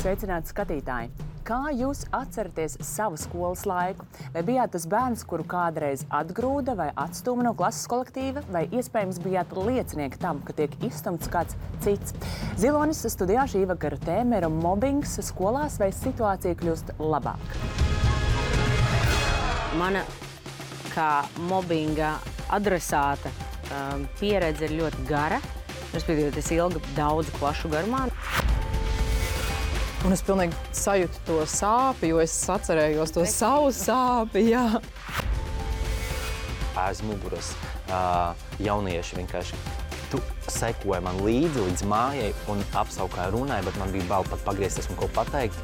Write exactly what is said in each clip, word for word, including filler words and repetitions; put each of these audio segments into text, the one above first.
Sveicināti skatītāji! Kā jūs atceraties savu skolas laiku? Vai bijāt tas bērns, kuru kādreiz atgrūda vai atstūma no klases kolektīva, vai iespējams bijāt liecinieki tam, ka tiek izstumts kāds cits? Zilonis studijā šī vakara tēma ir mobbings skolās, vai situācija kļūst labāk? Mana kā mobbinga adresāta um, pieredze ir ļoti gara. Respektīvi, es ilgi daudzu klašu garumā. Un es pilnīgi sajūtu to sāpi, jo es atcerējos to savu sāpi, jā. Aiz muguras uh, jaunieši vienkārši tu sekoja man līdzi līdz mājai un apsaukāja runai, bet man bija bail pat pagriezties un ko pateikt.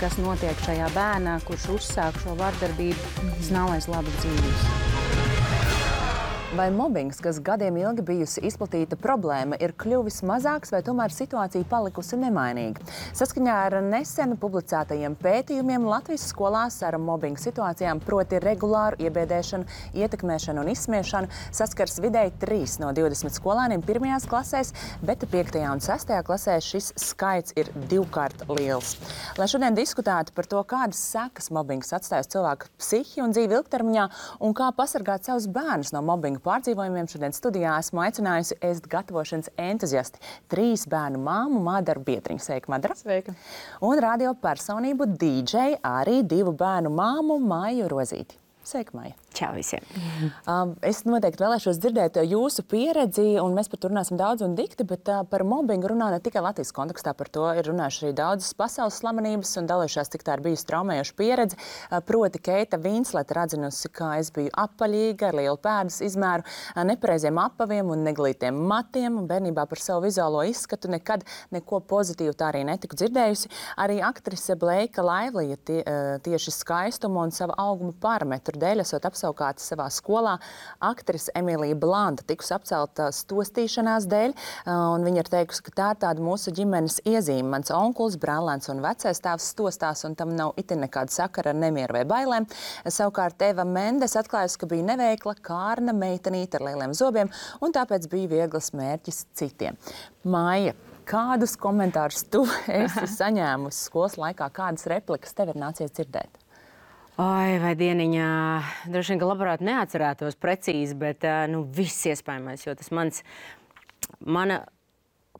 Kas notiek šajā bērnā, kurš uzsāk šo vardarbību, tas nav aiz labas dzīves. Vai mobbings, kas gadiem ilgi bijusi izplatīta problēma, ir kļuvis mazāks vai tomēr situācija palikusi nemainīga? Saskaņā ar nesen publicētajiem pētījumiem Latvijas skolās ar mobbinga situācijām, proti regulāru iebiedēšanu, ietekmēšanu un izsmiešanu, saskars vidēji trīs no divdesmit skolēniem pirmajās klasēs, bet piektajā un sestajā klasē šis skaits ir divkārt liels. Lai šodien diskutētu par to, kādas sekas mobbings atstājas cilvēku psihi un dzīvi ilgtermiņā un kā pasargāt savus bērnus no mobbinga pārdzīvojumiem, šodien studijā esmu aicinājusi ēst gatavošanas entuziasti. Trīs bērnu māmu Mādaru Biedriņu. Sveika, Madara. Sveika. Un radio personību D J arī divu bērnu māmu Māju Rozīti. Sveika, Māja. Čau visiem. Um, es noteikti vēlēšos dzirdēt jūsu pieredzi, un mēs par to runāsim daudz un dikti, bet uh, par mobbingu runā ne tikai Latvijas kontekstā, par to ir runājuši arī daudzas pasaules slavenības un dalījušās, cik tā ir bijusi traumējoša pieredze. Uh, proti Keita Vinsleta ir atzinusi, ka es biju apaļīga, ar lielu pēdas izmēru, uh, nepareiziem apaviem un neglītiem matiem, un bērnībā par savu vizuālo izskatu nekad neko pozitīvu tā arī netiku dzirdējusi. Arī aktrise Bleika Laivlija tie, uh, tieši skaistumu un savu auguma parametru dēļ esot apsaukāta savā skolā. Aktrise Emīlija Blanda tikus apcelta stostīšanās dēļ, un viņa ir teikusi, ka tā ir tāda mūsu ģimenes iezīme. Mans onkulis, brālēns un vecais tēvs stostās, un tam nav itin nekāda sakara ar nemieru vai bailēm. Savukārt Eva Mendes atklājusi, ka bija neveikla, kārna meitenīte ar lieliem zobiem, un tāpēc bija viegls mērķis citiem. Māja, kādus komentārus tu esi saņēmusi skolas laikā, kādas replikas tev ir nācies dzirdēt? Oi, vai dieniņā, droši vien, ka labprāt neatcerētos precīzi, bet nu, viss iespējamais, jo tas mans, mana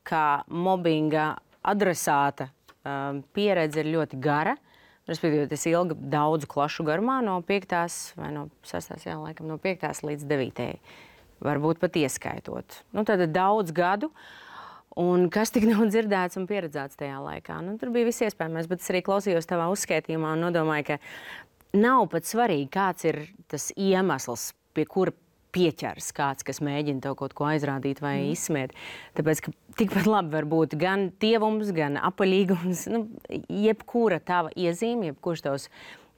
kā mobbinga adresāta um, pieredze ir ļoti gara. Respektīvi, es ilgi daudzu klašu garumā no piektās vai no sestās, jā, laikam, no piektās līdz devītajai, varbūt pat ieskaitot. Nu, tad daudz gadu. Un kas tik nav dzirdēts un pieredzēts tajā laikā? Nu, tur bija viss iespējamais, bet es arī klausījos tavā uzskaitījumā un nodomāju, ka nav pat svarīgi, kāds ir tas iemesls, pie kura pieķers kāds, kas mēģina tev kaut ko aizrādīt vai mm. izsmiet. Tāpēc, ka tikpat labi var būt gan tievums, gan apaļīgums, nu, jebkura tava iezīme, jebkurš tavs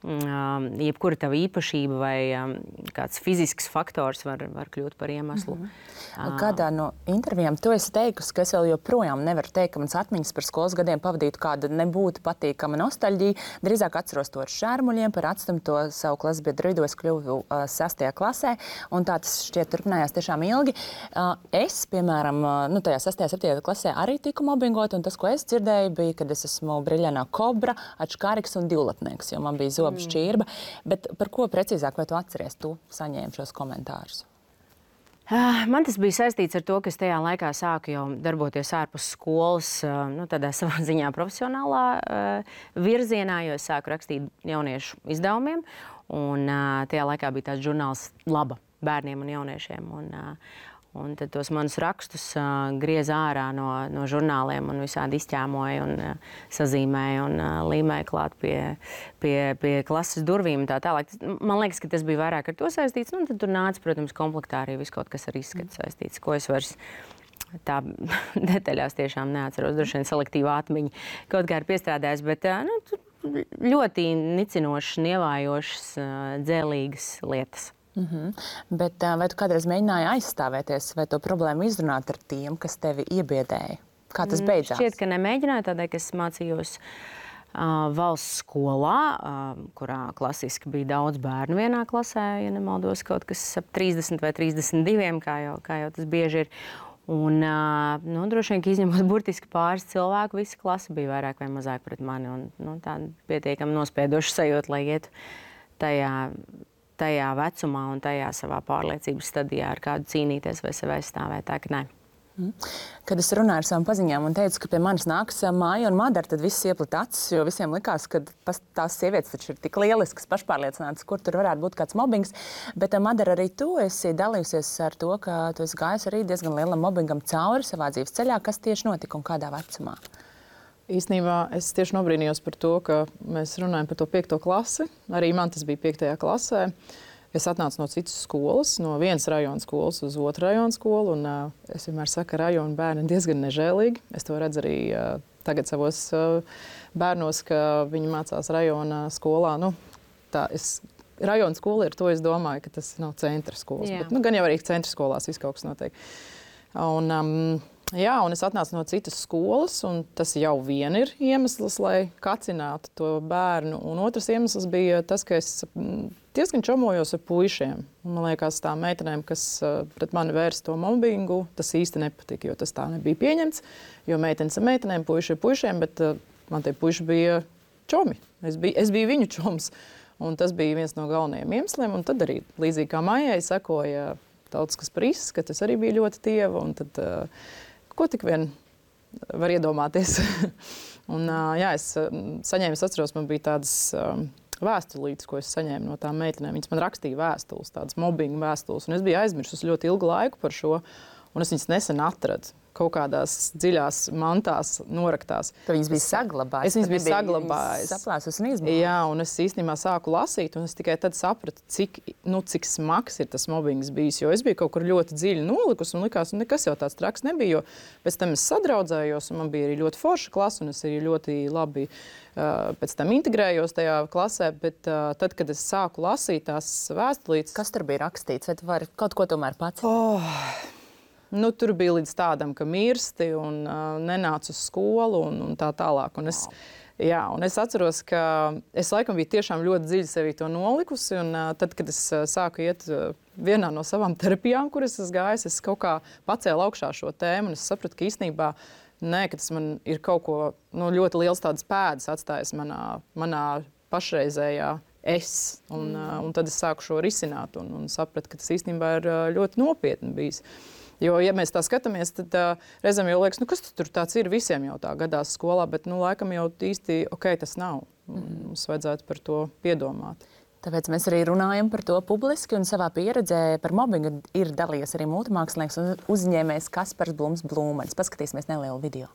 Um, jebkura tava īpašība vai um, kāds fizisks faktors var, var kļūt par iemeslu. Mm-hmm. Kādā no intervijām tu esi teikusi, ka es vēl joprojām nevaru teikt, ka mans atmiņas par skolas gadiem pavadītu kāda nebūtu patīkama nostalģija. Drīzāk atceros to ar šērmuļiem, par atstumto savu klases biedru vidū es kļuvu uh, sastajā klasē, un tā tas šķiet turpinājās tiešām ilgi. Uh, es, piemēram, uh, nu, tajā sastajā, septītajā klasē arī tiku mobbingot, un tas, ko es dzirdēju, bija, kad es esmu briļainā kobra, atškāriks un divlatnieks, jo man bija zobi šķirba, bet par ko precīzāk vai tu atceries, tu saņēmi šos komentārus? Man tas bija saistīts ar to, ka es tajā laikā sāku jau darboties ārpus skolas, nu, tādā savā ziņā profesionālā uh, virzienā, jo es sāku rakstīt jauniešu izdevumiem, un uh, tajā laikā bija tāds žurnāls Laba bērniem un jauniešiem, un uh, Un tad tos manus rakstus uh, griez ārā no, no žurnāliem un visādi izķēmoja un uh, sazīmēja un uh, līmēja klāt pie, pie, pie klases durvīm un tā tālāk. Man liekas, ka tas bija vairāk ar to saistīts. Nu, tad tur nāca, protams, komplektā arī viss kaut kas ar izskatu saistīts, ko es vairs tā detaļās tiešām neatceros. Droši vien selektīva atmiņa kaut kā ir piestrādājis, bet uh, nu, ļoti nicinošas, nievājošas, uh, dzēlīgas lietas. Mm-hmm. Bet vai tu kādreiz mēģināji aizstāvēties vai to problēmu izrunāt ar tiem, kas tevi iebiedēja? Kā tas beidzās? Šķiet, ka nemēģināju, tādēļ, ka es mācījos uh, valsts skolā, uh, kurā klasiski bija daudz bērnu vienā klasē, ja nemaldos kaut kas ap trīsdesmit vai trīsdesmit diviem, kā jau, kā jau tas bieži ir. Un, nu, droši vien, ka izņemot burtiski pāris cilvēku, visa klase bija vairāk vai mazāk pret mani. Un, nu, tā pietiekami nospiedoša sajūta, lai ietu tajā, tajā vecumā un tajā savā pārliecības stadijā ar kādu cīnīties vai sevi aizstāvēt. Tā ka nē. Kad es runāju ar savām paziņām un teicu, ka pie manis nāks Māja un Madara, tad viss ieplita acis, jo visiem likās, ka tās sievietes taču ir tik lieliskas, pašpārliecinātas, kur tur varētu būt kāds mobbings. Bet, Madara, arī tu esi dalījusies ar to, ka tu esi gājis arī diezgan lielam mobbingam cauri savā dzīves ceļā. Kas tieši notika un kādā vecumā? Īstenībā es tieši nobrīnījos par to, ka mēs runājam par to piekto klasi. Arī man tas bija piektajā klasē. Es atnācu no citas skolas, no vienas rajona skolas uz otru rajona skolu. Un, uh, es vienmēr saku, ka rajona bērni ir diezgan nežēlīgi. Es to redzu arī uh, tagad savos uh, bērnos, ka viņi mācās rajona skolā. Nu, tā, es, rajona skola ir to, es domāju, ka tas nav centra skolas. Jā. Bet, nu, gan jau arī centra skolās viss kaut kas notiek. Un, um, jā, un es atnācu no citas skolas, un tas jau vien ir iemesls, lai kacinātu to bērnu. Un otrs iemesls bija tas, ka es diezgan čomojos ar puišiem. Un, man liekas, tām meitenēm, kas uh, pret mani vērsa to mobbingu, tas īsti nepatika, jo tas tā nebija pieņemts. Jo meitenes ar meitenēm, puiši ar puišiem, bet uh, man tie puiši bija čomi. Es biju, es biju viņu čoms. Un tas bija viens no galvenajiem iemesliem. Un tad arī, līdzīgi kā Maijai, sakoja Tautiskas Prises, ka tas arī bija ļoti tieva. Un tad, uh, ko tik vien var iedomāties. un, uh, jā, es uh, saņēmu, es atceros, man bija tādas um, vēstulītes, ko es saņēmu no tām meitenēm. Viņas man rakstīja vēstules, tādas mobbinga vēstules. Un es biju aizmirsus ļoti ilgu laiku par šo, un es viņas nesen atradu. Kaut kādās dziļās mantās noraktās. Tu viņas bija saglabājis. Es viņas biju saglabājis. Saplāsus un izmēs. Jā, un es īstenībā sāku lasīt, un es tikai tad sapratu, cik, nu, cik smags ir tas mobbings bijis. Jo es biju kaut kur ļoti dziļi nolikus, un likās, nu, nekas jau tāds traks nebija. Jo pēc tam es sadraudzējos, un man bija arī ļoti forša klasa, un es arī ļoti labi uh, pēc tam integrējos tajā klasē. Bet uh, tad, kad es sāku lasīt tās vēstulītes... Kas tur bija rakstīts? Vai tu vari kaut ko tomēr pats? Oh. Nu, tur bija līdz tādam, ka mirsti un uh, nenāca uz skolu un, un tā tālāk. Un es, jā, un es atceros, ka es laikam biju tiešām ļoti dziļi sevī to nolikusi. Un uh, tad, kad es uh, sāku iet uh, vienā no savām terapijām, kuras es gāju, es kaut kā pacēlu augšā šo tēmu. Un es sapratu, ka īstenībā nē, ka tas man ir kaut ko nu, ļoti liels tādas pēdas atstājis manā, manā pašreizējā es. Un, uh, un tad es sāku šo risināt un, un sapratu, ka tas īstenībā ir uh, ļoti nopietni bijis. Jo, ja mēs tā skatāmies, tad uh, reizēm jau liekas, nu, kas tur tāds ir, visiem jau tā gadās skolā, bet, nu, laikam jau īsti, ok, tas nav. Mums vajadzētu par to piedomāt. Tāpēc mēs arī runājam par to publiski un savā pieredzē par mobbingu ir dalījies arī mūtemākslinieks un uzņēmējs Kaspars Blums Blūmanis. Paskatīsimies nelielu video.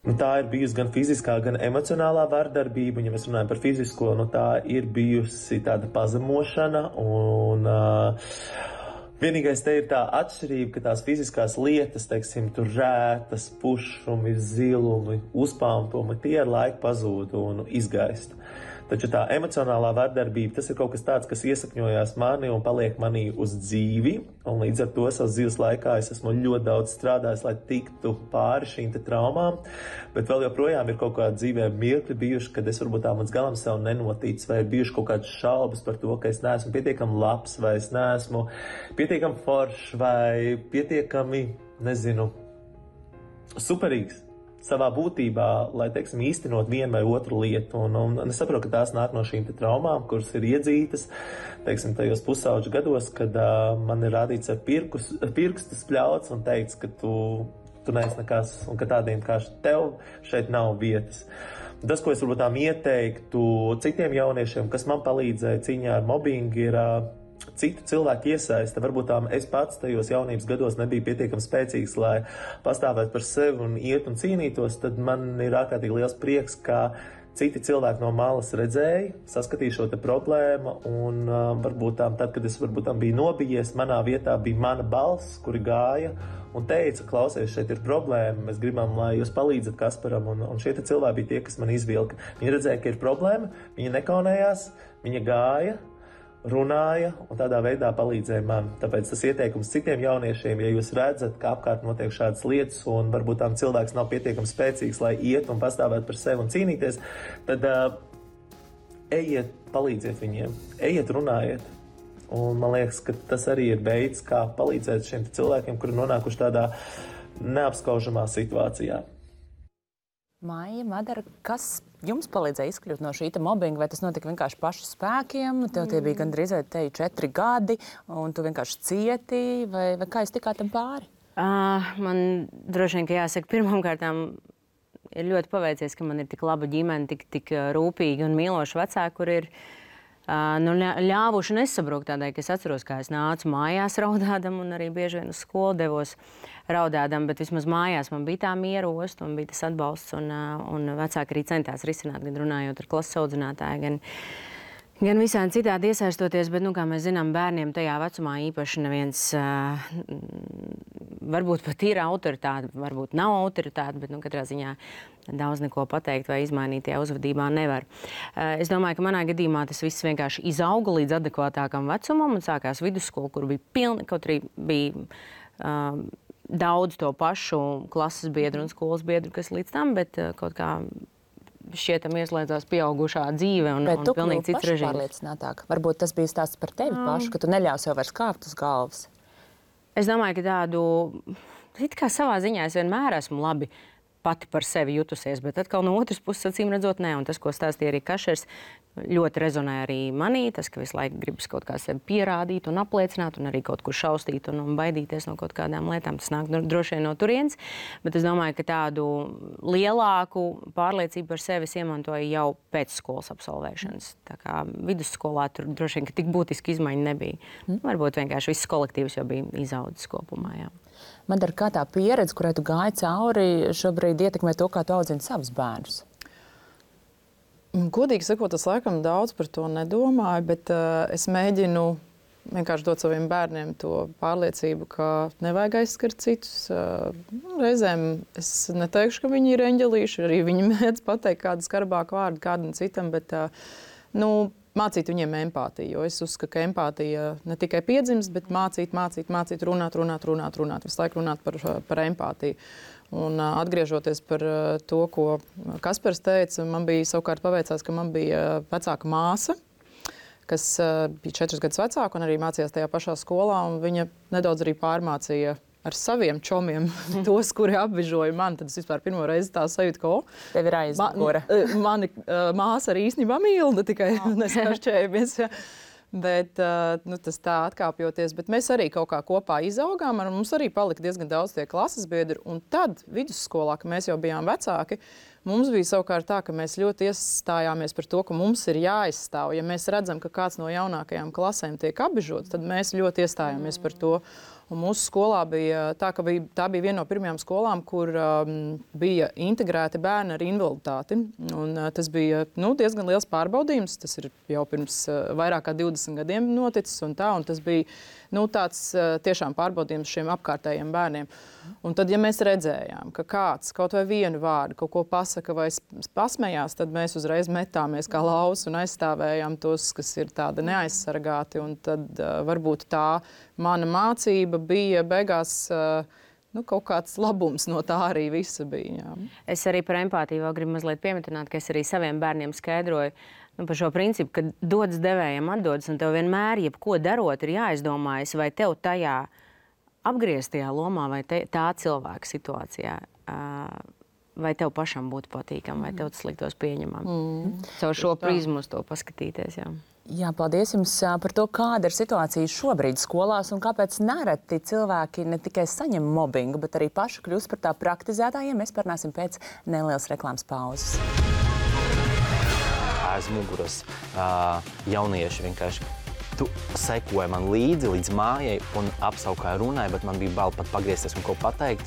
Nu, tā ir bijusi gan fiziskā, gan emocionālā vardarbība. Ja mēs runājam par fizisko, nu, tā ir bijusi tāda pazemošana un... Uh, Vienīgais te ir tā atšķirība, ka tās fiziskās lietas, teiksim, tur rētas, pušumi, zilumi, uzpāmpumi, tie ar laiku pazūd un izgaist. Taču tā emocionālā vardarbība, tas ir kaut kas tāds, kas iesakņojās mani un paliek manī uz dzīvi. Un līdz ar to savas dzīves laikā es esmu ļoti daudz strādājis, lai tiktu pāri šīm te traumām. Bet vēl joprojām ir kaut kādi dzīvē mirkļi bijuši, kad es varbūt tā mans galam sev nenotīts, vai ir bijuši kaut kādas šaubas par to, ka es neesmu pietiekami labs, vai es neesmu pietiekami foršs, vai pietiekami, nezinu, superīgs savā būtībā, lai, teiksim, īstenot vienu vai otru lietu. Un, un, un es saprotu, ka tās nāk no šīm te traumām, kuras ir iedzītas, teiksim, tajos pusauģu gados, kad uh, man ir rādīts ar pirkus, pirkstu spļauts un teikts, ka tu, tu neesi nekas un ka tādiem kā tev šeit nav vietas. Tas, ko es varbūt tām ieteiktu citiem jauniešiem, kas man palīdzēja cīņā ar mobbingu, ir uh, citu cilvēku iesaiste. Varbūt tām es pats tajos jaunības gados nebija pietiekami spēcīgs, lai pastāvētu par sevi un iet un cīnītos, tad man ir ārkārtīgi liels prieks, ka citi cilvēki no malas redzēja, saskatīja šo te problēmu un uh, varbūt tām, tad, kad es varbūt tām biju nobijies, manā vietā bija mana balss, kuri gāja un teica, klausies, šeit ir problēma, mēs gribam, lai jūs palīdzat Kasparam, un, un šie te cilvēki bija tie, kas man izvilka. Viņi redzēja, ka ir problēma, viņi nekaunējās, viņi gāja, runāja un tādā veidā palīdzēja man. Tāpēc tas ieteikums citiem jauniešiem, ja jūs redzat, ka apkārt notiek šādas lietas un varbūt tām cilvēks nav pietiekami spēcīgs, lai iet un pastāvēt par sevi un cīnīties, tad uh, ejiet, palīdziet viņiem, ejiet, runājiet. Un man liekas, ka tas arī ir veids, kā palīdzēt šiem cilvēkiem, kuri nonākuši tādā neapskaužamā situācijā. Maija, Madara, kas jums palīdzēja izkļūt no šī mobbinga? Vai tas notika vienkārši pašu spēkiem? Tev tie bija gandrīz vai te četri gadi, un tu vienkārši cieti, vai, vai kā jūs tikāt tam pāri? Uh, man droši vien, ka jāsaka, pirmkārtām ir ļoti paveicies, ka man ir tik laba ģimene, tik, tik rūpīgi un mīloši vecāki, kur ir uh, nu, ļāvuši nesabrukt tādai, ka es atceros, kā es nācu mājās raudādam un arī bieži vien uz skolu devos raudādam, bet vismaz mājās man bija tā miera osta un bija tas atbalsts, un, uh, un vecāki arī centās risināt, gan runājot ar klases audzinātāju, gan Gan visādi citādi iesaistoties, bet, nu, kā mēs zinām, bērniem tajā vecumā īpaši neviens, uh, varbūt pat ir autoritāte, varbūt nav autoritāte, bet, nu, katrā ziņā daudz neko pateikt vai izmainīt tajā uzvedībā nevar. Uh, es domāju, ka manā gadījumā tas viss vienkārši izauga līdz adekvātākam vecumam un sākās vidusskola, kur bija pilni, kaut arī bija uh, daudz to pašu klases biedru un skolas biedru, kas līdz tam, bet uh, kaut kā šķietam ieslēdzās pieaugušā dzīve un, Bet un pilnīgi cits režīms. Pārliecinātāk. Varbūt tas bija stāsts par tevi um. pašu, ka tu neļauj sev vairs kāpt uz galvas. Es domāju, ka tādu, it kā savā ziņā es vienmēr esmu labi pati par sevi jutusies, bet atkal no otras puses, acīm redzot, ne. Un tas, ko stāstīja arī Kašers, ļoti rezonē arī manī. Tas, ka visu laiku gribas kaut kā sevi pierādīt un apliecināt, un arī kaut kur šaustīt un, un baidīties no kaut kādām lietām. Tas nāk droši vien no turienes, bet es domāju, ka tādu lielāku pārliecību par sevi es iemantoju jau pēc skolas absolvēšanas. Tā kā vidusskolā tur droši vien, ka tik būtiski izmaiņa nebija. Mm. Varbūt vienkārši viss kolektīvs jau bija izaudzis kopumā, jā. Madara, kā tā pieredze, kurai tu gāji cauri, šobrīd ietekmē to, kā tu audzini savus bērnus? Godīgi sakot, es laikam daudz par to nedomāju, bet uh, es mēģinu vienkārši dot saviem bērniem to pārliecību, ka nevajag aizskart citus. Uh, reizēm es neteikšu, ka viņi ir eņģelīši, arī viņi mēdz pateikt kādu skarbāku vārdu kādam citam, bet uh, nu, mācīt viņiem empātiju, jo es uzskatu, ka empātija ne tikai piedzimst, bet mācīt, mācīt, mācīt, runāt, runāt, runāt, runāt, visu laiku runāt par, par empātiju. Un atgriežoties par to, ko Kaspars teica, man bija savukārt paveicās, ka man bija vecāka māsa, kas bija četrus gadus vecāka un arī mācījās tajā pašā skolā, un viņa nedaudz arī pārmācīja ar saviem čomiem tos, kuri apbižoja mani. Tad es vispār pirmo reizi tā sajūtu, ka, o, tev ir aizmugure. Ma, mani uh, māsa arī īstenībā mīlda, tikai oh. nesašķējamies. Bet uh, nu, tas tā atkāpjoties. Bet mēs arī kaut kā kopā izaugām, un mums arī palika diezgan daudz tie klases biedri. Un tad vidusskolā, kad mēs jau bijām vecāki, mums bija savukārt tā, ka mēs ļoti iestājāmies par to, ka mums ir jāizstāv. Ja mēs redzam, ka kāds no jaunākajām klasēm tiek apbižots, tad mēs ļoti iestājāmies par to. Un mūsu skolā bija tā, ka bija, tā bija viena no pirmajām skolām, kur um, bija integrēti bērni ar invaliditāti. Un, uh, tas bija nu, diezgan liels pārbaudījums. Tas ir jau pirms uh, vairāk kā divdesmit gadiem noticis. Un tā, un tas bija nu, tāds uh, tiešām pārbaudījums šiem apkārtējiem bērniem. Un tad, ja mēs redzējām, ka kāds kaut vai vienu vārdu kaut ko pasaka vai pasmējās, tad mēs uzreiz metāmies kā lausi un aizstāvējām tos, kas ir tādi neaizsargāti. Un tad uh, varbūt tā mana mācība bija beigās uh, nu, kaut kāds labums no tā arī visa bija. Jā. Es arī par empātiju vēl gribu mazliet piemetināt, ka es arī saviem bērniem skaidroju nu, par šo principu, ka dodas devējiem atdodas, un tev vienmēr, jebko darot, ir jāizdomājas, vai tev tajā apgrieztajā lomā vai te, tā cilvēka situācijā, uh, vai tev pašam būtu patīkam, vai tev tas liktos pieņemam. Mm. Caur šo prizmu uz to paskatīties, jā. Jā, paldies jums par to, kāda ir situācija šobrīd skolās un kāpēc nereti cilvēki ne tikai saņem mobbingu, bet arī paši kļūst par tā praktizētājiem. Mēs parunāsim pēc nelielas reklāmas pauzes. Aiz muguras uh, jaunieši vienkārši tu sekoji man līdzi līdz mājai un apsaukāji runāja, bet man bija bail pat pagriezties un ko pateikt.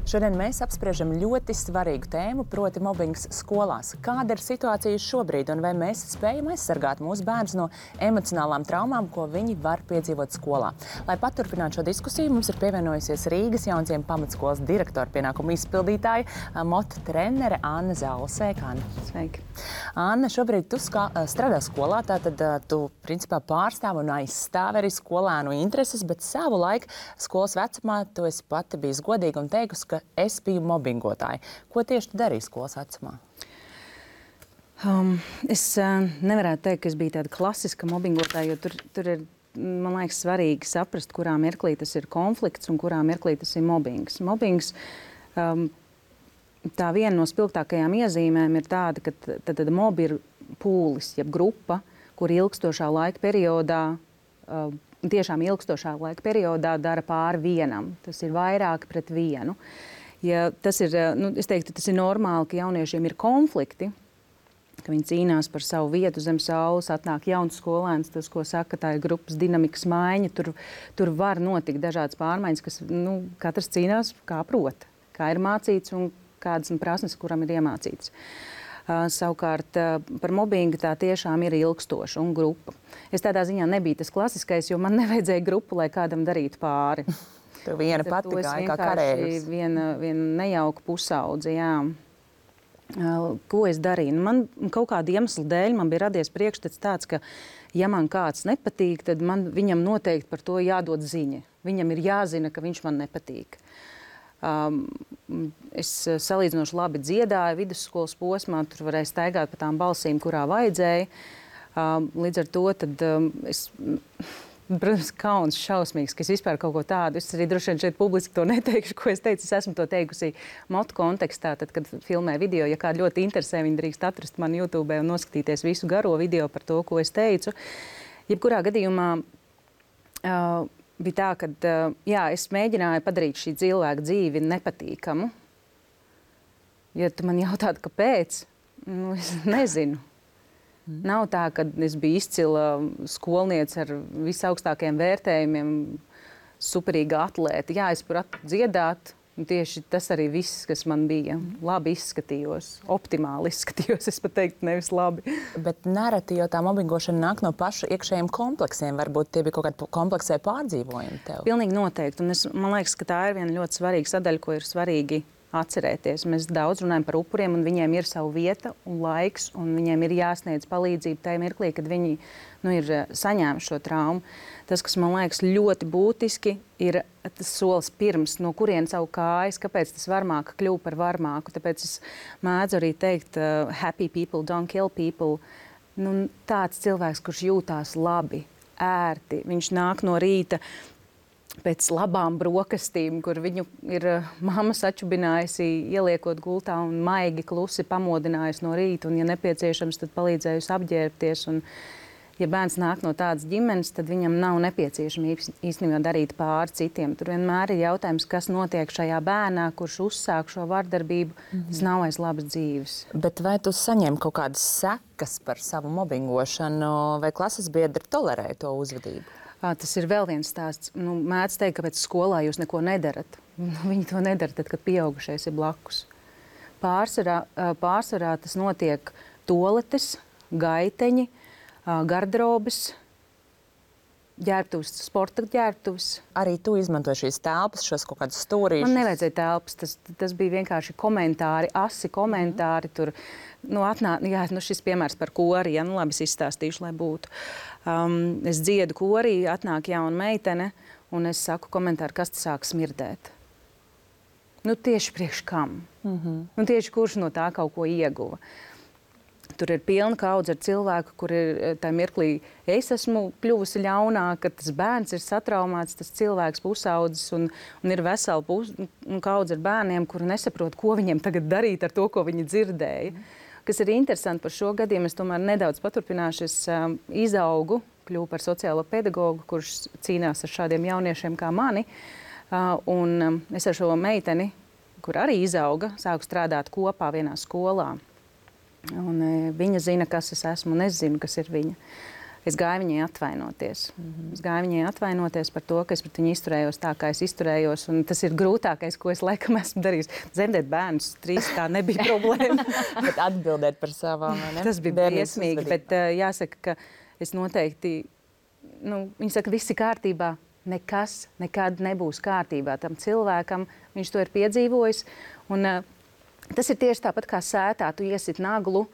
Šodien mēs apspriežam ļoti svarīgu tēmu, proti mobbings skolās. Kāda ir situācija šobrīd un vai mēs spējam aizsargāt mūsu bērnus no emocionālām traumām, ko viņi var piedzīvot skolā? Lai paturpinātu šo diskusiju, mums ir pievienojusies Rīgas Jaunziem pamatskolas direktora pienākumu izpildītāja, motu trenere Anna Zaula. Sveika, Anna. Sveiki. Anna, šobrīd tu skā, strādā skolā, tātad tu principā pārstāv un aizstāv arī skolēnu intereses, bet savu laiku skolas vecumā tu esi pati bijis godīga un teikusi, ka es biju mobbingotāja. Ko tieši tu darīji skolas vecumā? Um, es uh, nevarētu teikt, ka es biju tāda klasiska mobbingotāja, jo tur, tur ir, man liekas, svarīgi saprast, kurā mirklī tas ir konflikts un kurā mirklī tas ir mobbings. Mobbings, um, tā viena no spilgtākajām iezīmēm ir tāda, ka tad, tad mobi ir pūlis, jeb grupa, kur ilgstošā laika periodā, uh, tiešām ilgstošā laika periodā dara pāri vienam. Tas ir vairāk pret vienu. Ja tas ir, nu, es teiktu, tas ir normāli, ka jauniešiem ir konflikti, ka viņi cīnās par savu vietu zem saules, atnāk jauns skolēns, tas, ko saka, tā ir grupas dinamikas maiņa, tur, tur var notikt dažādas pārmaiņas, kas, nu, katrs cīnās kā prot, kā ir mācīts un kādas prasmes, kuram ir iemācīts. Uh, savukārt uh, par mobbingu tā tiešām ir ilgstoša un grupa. Es tādā ziņā nebiju tas klasiskais, jo man nevajadzēja grupu, lai kādam darītu pāri. Tev viena pati gāja kā karēvis. Viena, viena nejauka pusaudze, jā. Uh, ko es darīju? Nu, man kaut kāda iemesla dēļ man bija radies priekšstats tāds, ka ja man kāds nepatīk, tad man, viņam noteikti par to jādod ziņa. Viņam ir jāzina, ka viņš man nepatīk. Um, es salīdzinoši labi dziedāju vidusskolas posmā, tur varēja staigāt pa tām balsīm, kurā vajadzēja. Um, līdz ar to tad um, es... Protams, kauns šausmīgs, ka es vispār kaut ko tādu. Es arī droši vien šeit publiski to neteikšu, ko es teicu. Es esmu to teikusi motu kontekstā, tad, kad filmē video. Ja kādu ļoti interesē, viņi drīkst atrast mani YouTube un noskatīties visu garo video par to, ko es teicu. Jebkurā gadījumā uh, bija tā, ka uh, jā, es mēģināju padarīt šī cilvēka dzīvi nepatīkamu. Ja tu man jautātu, kāpēc, nu, es nezinu. Nav tā, ka es biju izcila skolniece ar visaugstākajiem vērtējumiem, superīga atlēta. Jā, es pratu dziedāt, un tieši tas arī viss, kas man bija. Labi izskatījos, optimāli izskatījos, es pat teiktu, nevis labi. Bet nereti jau tā mobbingošana nāk no paša iekšējiem kompleksiem. Varbūt tie bija kaut kādi kompleksē pārdzīvojumi tev. Pilnīgi noteikti. Un es, man liekas, ka tā ir viena ļoti svarīga sadaļa, ko ir svarīgi atcerēties. Mēs daudz runājam par upuriem, un viņiem ir sava vieta un laiks, un viņiem ir jāsniedz palīdzību tajā mirklī, kad viņi nu, ir saņēmuši šo traumu. Tas, kas man liekas ļoti būtiski, ir tas solis pirms, no kurien savu kājas, kāpēc tas varmāka kļuva par varmāku. Tāpēc es mēdzu arī teikt, uh, happy people don't kill people. Nu, tāds cilvēks, kurš jūtās labi, ērti, viņš nāk no rīta pēc labām brokastīm, kur viņu ir uh, mamma sačubinājusi, ieliekot gultā un maigi klusi pamodinājusi no rīta, un, ja nepieciešams, tad palīdzējusi apģērbties. Un, ja bērns nāk no tādas ģimenes, tad viņam nav nepieciešami īstenībā darīt pāri citiem. Tur vienmēr ir jautājums, kas notiek šajā bērnā, kurš uzsāk šo vardarbību. Mm-hmm. Tas nav aiz labas dzīves. Bet vai tu saņem kaut kādas sekas par savu mobbingošanu, vai klases biedri tolerē to uzvedību? Tas ir vēl viens stāsts. Nu, mēdz teikt, ka pēc skolā jūs neko nedarat. Viņi to nedara tad, kad pieaugušais ir blakus. Pārsvarā, pārsvarā tas notiek toaletes, gaiteņi, garderobes, ģērbtuves, sporta ģērbtuves. Arī tu izmantoji šīs telpas, šos kaut kādus stūrīšus? Man nevajadzēja telpas. Tas, tas bija vienkārši komentāri, asi komentāri. Tur, nu, atnā, jā, nu, šis piemērs par kori, ja, nu labi, es izstāstīšu, lai būtu. Um, es dziedu korī, atnāk jauna meitene, un es saku komentāru, kas te sāk smirdēt. Nu, tieši priekš kam? Mm-hmm. Nu, tieši kurš no tā kaut ko ieguva. Tur ir pilna kaudze ar cilvēku, kur ir tā mirklī, es esmu kļuvusi ļaunāka, tas bērns ir satraumāts, tas cilvēks pusaudzis, un, un ir vesela pus, kaudze ar bērniem, kuri nesaprot, ko viņiem tagad darīt ar to, ko viņi dzirdēja. Mm. Kas ir interesanti par šo gadījumu, es tomēr nedaudz paturpināšu. Es um, izaugu, kļuvu par sociālo pedagogu, kurš cīnās ar šādiem jauniešiem kā mani. Uh, un um, es ar šo meiteni, kur arī izauga, sāku strādāt kopā vienā skolā. Un, uh, viņa zina, kas es esmu, un es zinu, kas ir viņa. Es gāju viņai atvainoties. Mm-hmm. Es gāju viņai atvainoties par to, ka es pret viņu izturējos tā, kā es izturējos. Un tas ir grūtākais, ko es laikam esmu darījis. Dzemdēt bērnus trīs tā nebija problēma. Bet atbildēt par savām, ne? Tas bija briesmīgi, bet uh, jāsaka, ka es noteikti, nu, viņi saka, viss ir kārtībā. Nekas nekad nebūs kārtībā tam cilvēkam. Viņš to ir piedzīvojis. Un uh, tas ir tieši tāpat kā sētā. Tu iesit naglu.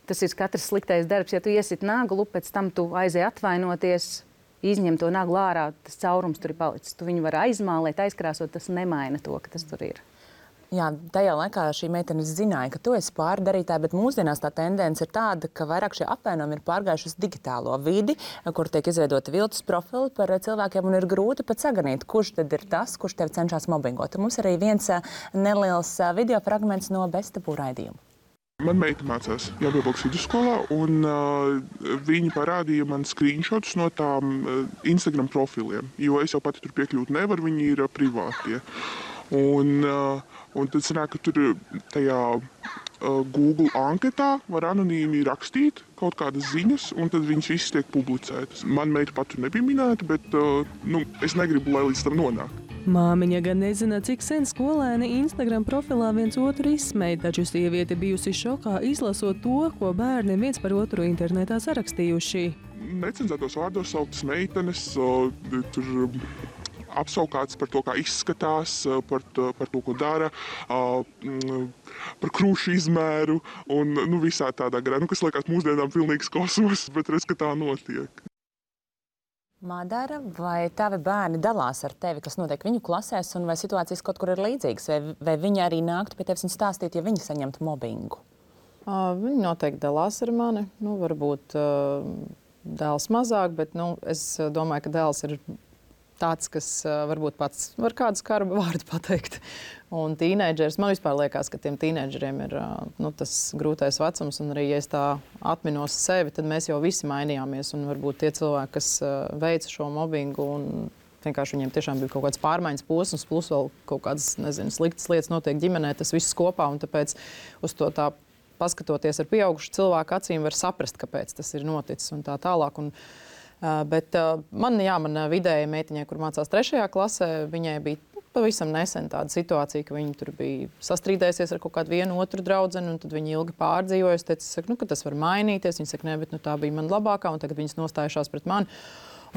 Tas ir katrs sliktais darbs. Ja tu iesit naglu, pēc tam tu aizej atvainoties, izņem to naglu ārā, tas caurums tur ir palicis. Tu viņu var aizmālēt, aizkrāsot, tas nemaina to, ka tas tur ir. Jā, tajā laikā šī meitene zināja, ka tu esi pārdarītāja, bet mūsdienās tā tendence ir tāda, ka vairāk šie apvainojumi ir pārgājuši uz digitālo vidi, kur tiek izveidoti viltus profili par cilvēkiem un ir grūti pat saganīt, kurš tad ir tas, kurš tevi cenšas mobbingot. Un mums arī viens neliels video fragments no Beztabū raidījuma. Man meita mācās Jābiebalgas vidusskolā, un uh, viņi parādīja man screenshotus no tām uh, Instagram profiliem, jo es jau pati tur piekļūt nevaru, viņi ir uh, privātie. Un, uh, un tad sanāk, ka tur tajā uh, Google anketā var anonīmi rakstīt kaut kādas ziņas, un tad viņas visas tiek publicētas. Man meita pat tur nebija minēta, bet uh, nu, es negribu, lai līdz tam nonāk. Māmiņa gan nezina, cik sen skolēni Instagram profilā viens otru izsmeja, taču sieviete bijusi šokā izlasot to, ko bērni viens par otru internetā sarakstījuši. Necenzētos vārdos sauktas meitenes, uh, tur apsaukāts par to, kā izskatās, par to, par to ko dara, par krūšu izmēru un nu, visā tādā garā, nu, kas liekas mūsdienām pilnīgs kosmos, bet redz, ka tā notiek. Madara, vai tavi bērni dalās ar tevi, kas notiek viņu klasēs, un vai situācijas kaut kur ir līdzīgas, vai, vai viņi arī nāktu pie tevis un stāstītu, ja viņi saņemtu mobbingu? Uh, viņi noteikti dalās ar mani. Nu, varbūt uh, dēls mazāk, bet nu, es domāju, ka dēls ir tāds, kas uh, varbūt pats var kādu skarbu vārdu pateikt. Un tīneidžers, man vispār liekas, ka tiem tīneidžeriem ir uh, nu, tas grūtais vecums, un arī, ja es tā atminos sevi, tad mēs jau visi mainījāmies, un varbūt tie cilvēki, kas uh, veica šo mobbingu, un vienkārši viņiem tiešām bija kaut kāds pārmaiņas posms, plus vēl kaut kādas, nezinu, sliktas lietas notiek ģimenē, tas viss kopā, un tāpēc uz to tā paskatoties ar pieaugušu cilvēku acīm var saprast, kāpēc tas ir noticis un tā tālāk. Un, Uh, bet uh, man, jā, man vidējai meitiņai, kur mācās trešajā klasē, viņai bija pavisam nesen tāda situācija, ka viņa tur bija sastrīdējusies ar kaut kādu vienu otru draudzeni, un tad viņa ilgi pārdzīvoja. Es teicu, saku, nu, ka tas var mainīties. Viņa saka, ne, bet nu, tā bija man labākā, un tagad viņas nostājušās pret mani.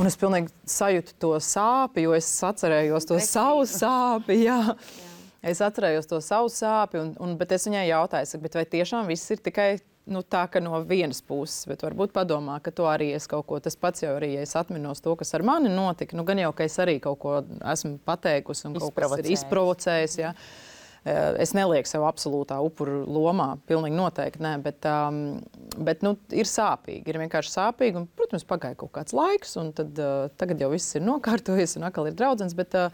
Un es pilnīgi sajūtu to sāpi, jo es atcerējos to savu sāpi, jā. Es atcerējos to savu sāpi, un, un, bet es viņai jautāju, saku, bet vai tiešām viss ir tikai nu, tā, ka no vienas puses, bet varbūt padomā, ka to arī es kaut ko, tas pats jau arī, ja es atminos to, kas ar mani notika, nu gan jau, ka es arī kaut ko esmu pateikusi un kaut kas ir izprovocējis, jā. Es nelieku sev absolūtā upuru lomā, pilnīgi noteikti, nē, bet, um, bet nu, ir sāpīgi, ir vienkārši sāpīgi, un, protams, pagāja kaut kāds laiks, un tad uh, tagad jau viss ir nokārtojies, un atkal ir draudzens, bet uh,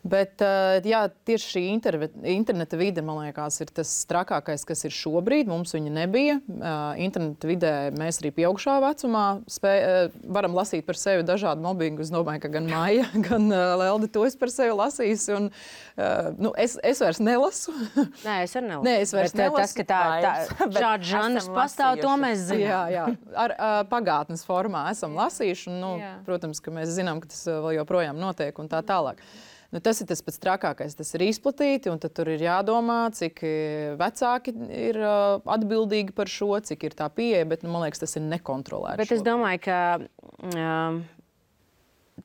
Bet jā, tieši šī interneta vide, man liekas, ir tas trakākais, kas ir šobrīd. Mums viņa nebija. Interneta vidē mēs arī pieaugušā vecumā spēj, varam lasīt par sevi dažādu mobbingu. Es domāju, ka gan Maija, gan Lelde to es par sevi lasījusi. Un, nu, es, es vairs nelasu. Nē, es arī nelasu. Nē, es vairs bet, nelasu. Tas, ka tā, tā, šāds žanrs pastāv, to mēs zinām. Jā, jā. Ar uh, pagātnes formā esam lasījuši. Un, nu, protams, ka mēs zinām, ka tas vēl joprojām notiek un tā tālāk. Nu, tas ir tas pats trakākais. Tas ir izplatīti, un tad tur ir jādomā, cik vecāki ir uh, atbildīgi par šo, cik ir tā pieeja, bet, nu, man liekas, tas ir nekontrolēts. Bet es domāju, ka um,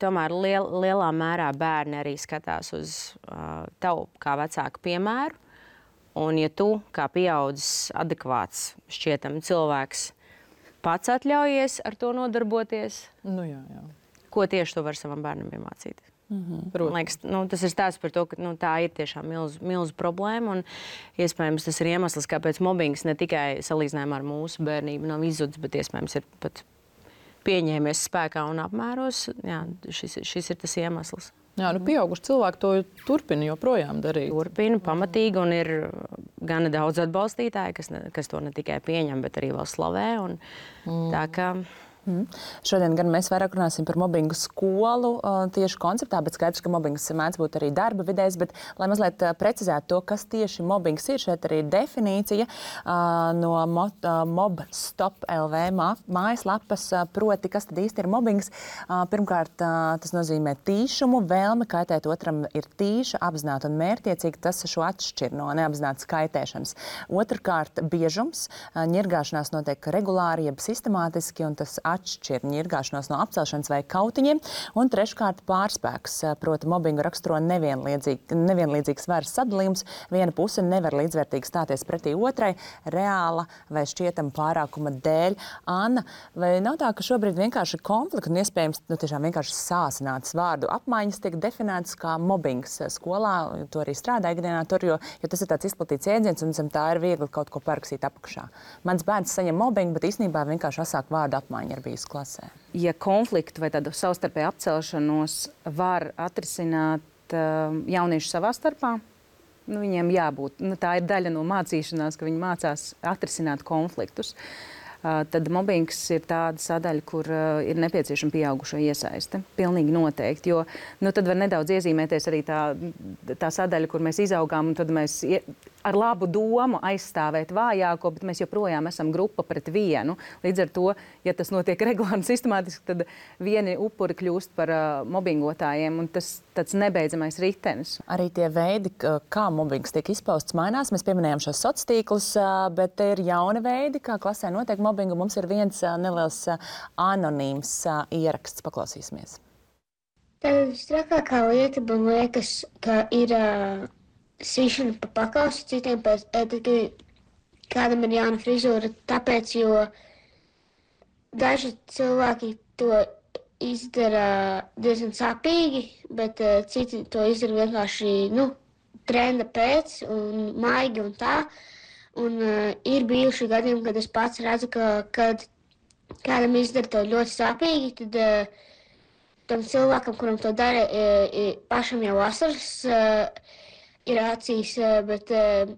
tomēr liel, lielā mērā bērni arī skatās uz uh, tavu kā vecāku piemēru, un ja tu, kā pieaudzis, adekvāts, šķietam cilvēks, pats atļaujies ar to nodarboties, nu, jā, jā. Ko tieši tu vari savam bērnam iemācīt? Mm-hmm. Man liekas, nu, tas ir stāsts par to, ka nu, tā ir tiešām milzu, milzu problēma. Un, iespējams, tas ir iemesls, kāpēc mobbings ne tikai salīdzinājumā ar mūsu bērnību nav izzudis, bet iespējams ir pat pieņēmies spēkā un apmēros. Jā, šis, šis ir tas iemesls. Jā, nu, pieauguši cilvēki to turpina joprojām darīt. Turpina pamatīgi, un ir gana daudz atbalstītāji, kas, ne, kas to ne tikai pieņem, bet arī vēl slavē. Un, mm. Tā kā... Mm. Šodien gan mēs vairāk runāsim par mobbingu skolu uh, tieši konceptā, bet skaidrs, ka mobbings mēdz būt arī darba vidēs, bet, lai mazliet uh, precizētu to, kas tieši mobbings ir, šeit arī ir definīcija uh, no mo, uh, mobstop punkt l v mā, mājaslapas, uh, proti, kas tad īsti ir mobbings. Uh, pirmkārt, uh, tas nozīmē tīšumu, vēlme kaitēt otram ir tīša, apzināta un mērķiecīga, tas šo atšķir no neapzinātas kaitēšanas. Otrkārt, biežums, uh, ņirgāšanās notiek regulāri, jeb sistemātiski, un tas atšķir ņirgāšanos no apcelšanas vai kautiņiem, un treškārt pārspēks, proti mobbingu raksturo nevienlīdzīgi, nevienlīdzīgs varas sadalījums. Viena puse nevar līdzvērtīgi stāties pretī otrai, reāla vai šķietama pārākuma dēļ. Anna, vai nav tā, ka šobrīd vienkārši konflikti un iespējams nu, tiešām vienkārši sāsinātas vārdu apmaiņas tiek definētas kā mobbings skolā, to arī strādā ikdienā tur, jo, jo tas ir tāds izplatīts jēdziens un zem tā ir viegli kaut ko parakstīt apakšā. Mans bērns saņem mobbingu, bet īstenībā vienkārši asāk vārdu apmaiņa ir bijusi klasē. Ja konfliktu vai tādu savstarpēju apcelšanos var atrisināt uh, jaunieši savā starpā, nu, viņiem jābūt. Nu, tā ir daļa no mācīšanās, ka viņi mācās atrisināt konfliktus. Uh, tad mobbings ir tāda sadaļa, kur uh, ir nepieciešama pieaugušo iesaiste. Pilnīgi noteikti, jo nu, tad var nedaudz iezīmēties arī tā, tā sadaļa, kur mēs izaugām, un tad mēs ie, ar labu domu aizstāvēt vājāko, bet mēs joprojām esam grupa pret vienu. Līdz ar to, ja tas notiek regulāri un sistemātiski, tad vieni upuri kļūst par uh, mobbingotājiem, un tas tāds nebeidzamais ritenis. Arī tie veidi, kā mobbings tiek izpausts, mainās. Mēs pieminējām šos sociālos tīklus, bet ir jauni veidi, kā klasē notiek mobbingu. Mums ir viens neliels anonīms ieraksts. Paklausīsimies. Tā visstrakākā lieta, man liekas, ka ir uh, sīšana pa pakausi citiem pēc, tad, kad kādam ir jauna frizūra, tāpēc, jo daži cilvēki to izdara diezgan sāpīgi, bet uh, citi to izdara vienkārši, nu, trenda pēc un maigi un tā. Un uh, ir bijuši gadījumi, kad es pats redzu, ka, kad kādam izdara to ļoti sāpīgi, tad uh, tam cilvēkam, kuram to dara, uh, pašam jau asaras uh, ir acīs, uh, bet uh,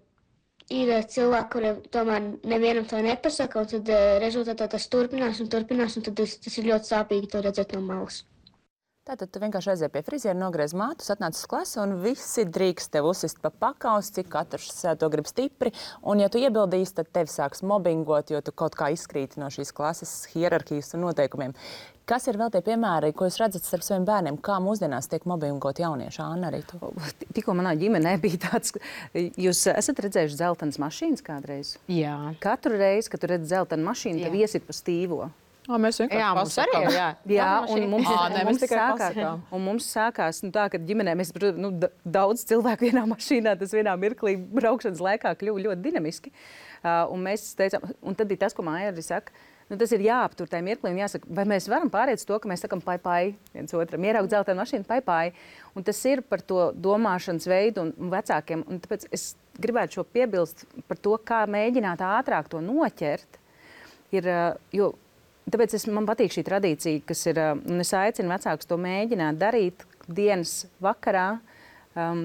ir cilvēki, kuriem tomēr nevienam to nepasaka, un tad uh, rezultātā tas turpinās un turpinās, un tad tas, tas ir ļoti sāpīgi to redzēt no malas. Tātad tu vienkārši aizies pie friziera, nogriez mātus, atnāc uz klasi un visi drīkst tev uzsist pa pakaus, cik katrs to grib stipri. Un ja tu iebildīsi, tad tevi sāks mobbingot, jo tu kaut kā izkrīti no šīs klases hierarhijas un noteikumiem. Kas ir vēl tie piemēri, ko jūs redzat starp saviem bērniem? Kā mūsdienās tiek mobbingot jaunieši? Anna, arī tu? Tikko manā ģimenē bija tāds, jūs esat redzējuši dzeltenas mašīnas kādreiz? Jā. Katru reizi, kad tu redz dzeltenu mašīnu, tev iesit pa stīvo. Ā, mēs vienkārši jā, mums arī ir, jā. Jā, un mums, Ā, ne, un mēs mums tikai sākās, pasakām. un mums sākās nu, tā, ka ģimenē mēs, nu, daudz cilvēku vienā mašīnā, tas vienā mirklī braukšanas laikā kļuva ļoti dinamiski. Uh, un mēs teicām, un tad bija tas, ko Māja arī saka, nu, tas ir jāaptur tajā mirklī un jāsaka, vai mēs varam pāriet to, ka mēs sakam pai pai viens otram, ieraugt dzeltenu mašīnu pai pai. Un tas ir par to domāšanas veidu un, un vecākiem. Un tāpēc es gribētu šo piebilst par to, kā mēģināt ātrāk to noķert. Ir, jo Tāpēc es, man patīk šī tradīcija, kas ir, un es aicinu vecākus to mēģināt darīt dienas vakarā, um,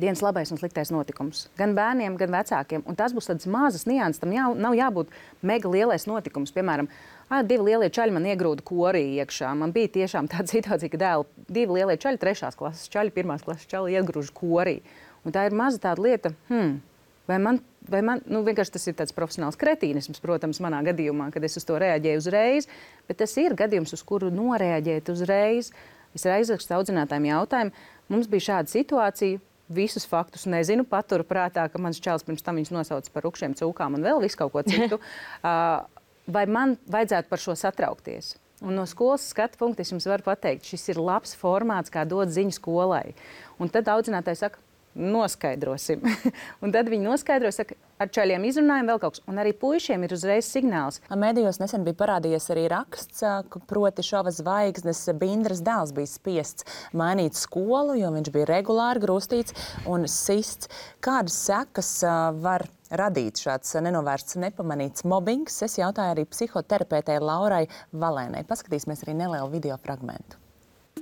dienas labais un sliktais notikums. Gan bērniem, gan vecākiem. Un tās būs tādas mazas nianses, tam jā, nav jābūt mega lielais notikums. Piemēram, ā, divi lielie čaļi man iegrūda korī iekšā. Man bija tiešām tāda situācija, ka dēli, divi lielie čaļi, trešās klases čaļi, pirmās klases čaļi iegrūž korī. Un tā ir maza tāda lieta, hmm, vai man Vai man, nu, vienkārši tas ir tāds profesionāls kretīnisms, protams, manā gadījumā, kad es uz to reaģēju uzreiz, bet tas ir gadījums, uz kuru noreaģēt uzreiz. Es aizrakstu audzinātājiem jautājumu, mums bija šāda situācija, visus faktus nezinu, paturu prātā, ka mans čēls pirms tam viņus nosauca par rukšiem cūkām un vēl visu kaut ko citu. Vai man vajadzētu par šo satraukties? Un no skolas skatu punkta es jums varu pateikt, šis ir labs formāts, kā dot ziņu skolai. Un tad audzinātāji saka, noskaidrosim. Un tad viņi noskaidro, saka, ar čaļiem izrunājam vēl kaut kas. Un arī puišiem ir uzreiz signāls. Mēdījos nesen bija parādījies arī raksts, proti šova zvaigznes Bindras dēls bija spiests mainīt skolu, jo viņš bija regulāri grūstīts un sists. Kādas sekas var radīt šāds nenovērsts, nepamanīts mobbings? Es jautāju arī psihoterapeitei Laurai Valēnai. Paskatīsimies arī nelielu video fragmentu.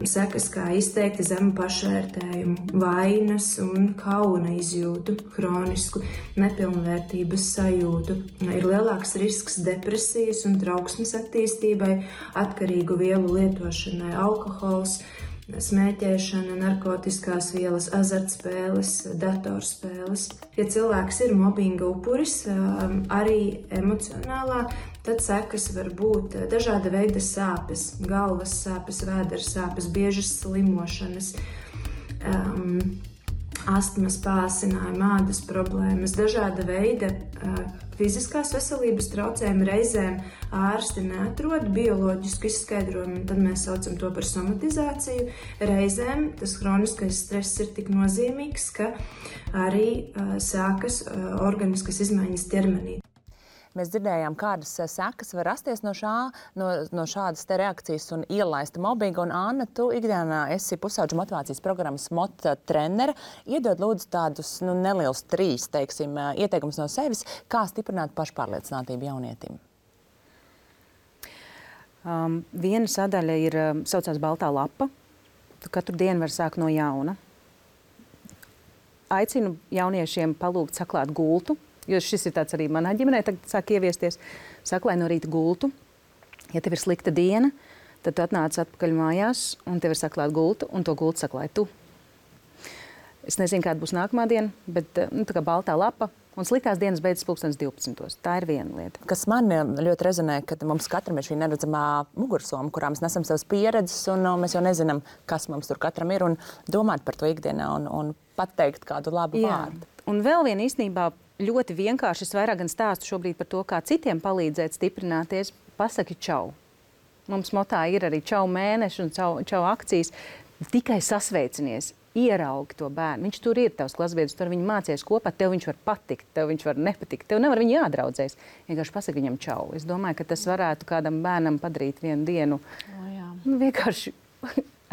Sekas kā izteikti zemu pašvērtējumu, vainas un kauna izjūtu, hronisku nepilnvērtības sajūtu. Ir lielāks risks depresijas un trauksmes attīstībai, atkarīgu vielu lietošanai, alkohols, smēķēšana, narkotiskās vielas, azartspēles, datorspēles. Ja cilvēks ir mobbinga upuris, arī emocionālā, tad sekas var būt dažāda veida sāpes, galvas sāpes, vēdera sāpes, biežas slimošanas, um, astmas pāsinājumi, ādas problēmas, dažāda veida uh, fiziskās veselības traucējumi, reizēm ārsti neatrod bioloģisku izskaidrojumu, un tad mēs saucam to par somatizāciju. Reizēm tas hroniskais stress ir tik nozīmīgs, ka arī uh, sākas uh, organiskas izmaiņas ķermenī. Mēs dzirdējām, kādas sekas var rasties no, šā, no, no šādas te reakcijas un ielaista mobbinga. Un, Anna, tu ikdienā esi pusauģu motivācijas programmas mota trenere. Iedod lūdzu tādus nu, nelielus trīs, teiksim, ieteikumus no sevis, kā stiprināt pašpārliecinātību jaunietim. Um, viena sadaļa ir um, saucās baltā lapa. Tu katru dienu var sākt no jauna. Aicinu jauniešiem palūgt saklāt gultu. Jo šis ir tāds arī manā ģimenē, tagad sāk ieviesties. Saklāj no rīta gultu. Ja tev ir slikta diena, tad tu atnāc atpakaļ mājās un tev ir saklāt gultu, un to gultu saklāj tu. Es nezinu, kāda būs nākamā diena, bet nu, tā kā baltā lapa un sliktās dienas beidzas pulkstens divpadsmitos. Tā ir viena lieta. Kas man ļoti rezonē, ka mums katram ir šī neredzamā mugursoma, kurā mēs nesam savas pieredzes, un no, mēs jau nezinām, kas mums tur katram ir, un domāt par to ikdienā un, un pateikt kādu labu Jā. vārdu. Un vēl viena īstenībā ļoti vienkārši, es vairāk gan stāstu šobrīd par to, kā citiem palīdzēt stiprināties, pasaki čau. Mums motā ir arī čau mēneši un čau, čau akcijas. Tikai sasveicinies, ieraugi to bērnu. Viņš tur ir tavs klasbiedrs, tur viņi mācies kopā, tev viņš var patikt, tev viņš var nepatikt, tev nevar viņu jādraudzēs. Vienkārši pasaki viņam čau. Es domāju, ka tas varētu kādam bērnam padarīt vienu dienu. O, jā. Nu, vienkārši